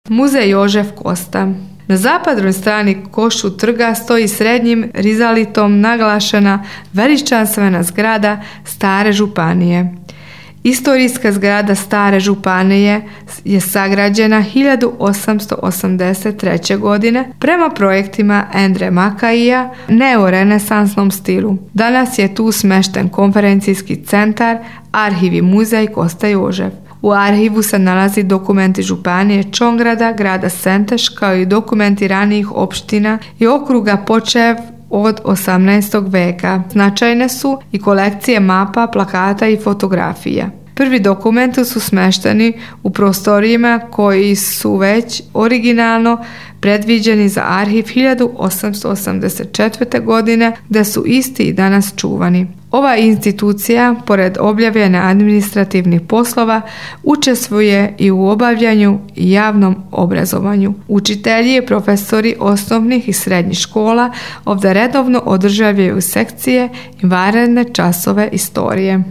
Muzej Jožef Kosta. Na zapadnoj strani Košut trga stoji srednjim rizalitom naglašena veličanstvena zgrada Stare županije. Istorijska zgrada Stare županije je sagrađena 1883. godine prema projektima Endre Makaija neorenesansnom stilu. Danas je tu smešten konferencijski centar, arhiv i muzej Kosta Jožef. U arhivu se nalazi dokumenti županije Čongrada, grada Senteš, kao i dokumenti ranijih opština i okruga počev od 18. veka. Značajne su i kolekcije mapa, plakata i fotografija. Prvi dokumenti su smešteni u prostorijima koji su već originalno predviđeni za arhiv 1884. godine, gdje su isti i danas čuvani. Ova institucija, pored obavljanja administrativnih poslova, učestvuje i u obavljanju i javnom obrazovanju. Učitelji i profesori osnovnih i srednjih škola ovdje redovno održavaju sekcije i vanredne časove istorije.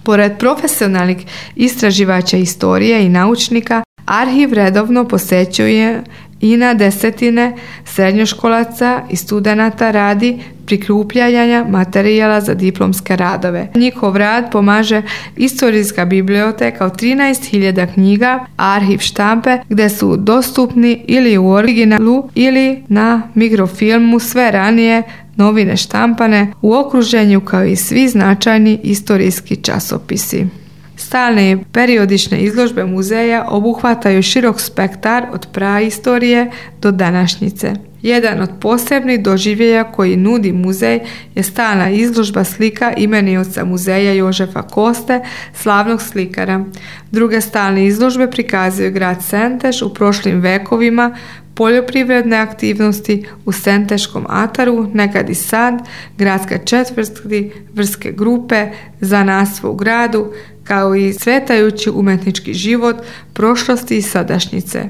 Pored profesionalnih istraživača istorije i naučnika, arhiv redovno posećuje i na desetine srednjoškolaca i studenata radi prikupljanja materijala za diplomske radove. Njihov rad pomaže istorijska biblioteka od 13.000 knjiga, arhiv štampe gdje su dostupni ili u originalu ili na mikrofilmu sve ranije novine štampane u okruženju kao i svi značajni istorijski časopisi. Stalne i periodične izložbe muzeja obuhvataju širok spektar od praistorije do današnjice. Jedan od posebnih doživljaja koji nudi muzej je stalna izložba slika imenioca muzeja Jožefa Koste, slavnog slikara. Druge stalne izložbe prikazuju grad Senteš u prošlim vekovima, poljoprivredne aktivnosti u Senteškom ataru, nekad i sad, gradska četvrti, vrske grupe, zanatstvo u gradu, kao i cvetajući umetnički život prošlosti i sadašnjice.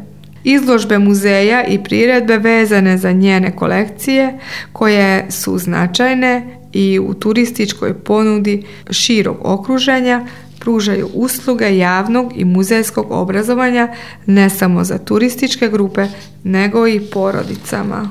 Izložbe muzeja i priredbe vezane za njene kolekcije, koje su značajne i u turističkoj ponudi širog okruženja, pružaju usluge javnog i muzejskog obrazovanja ne samo za turističke grupe, nego i porodicama.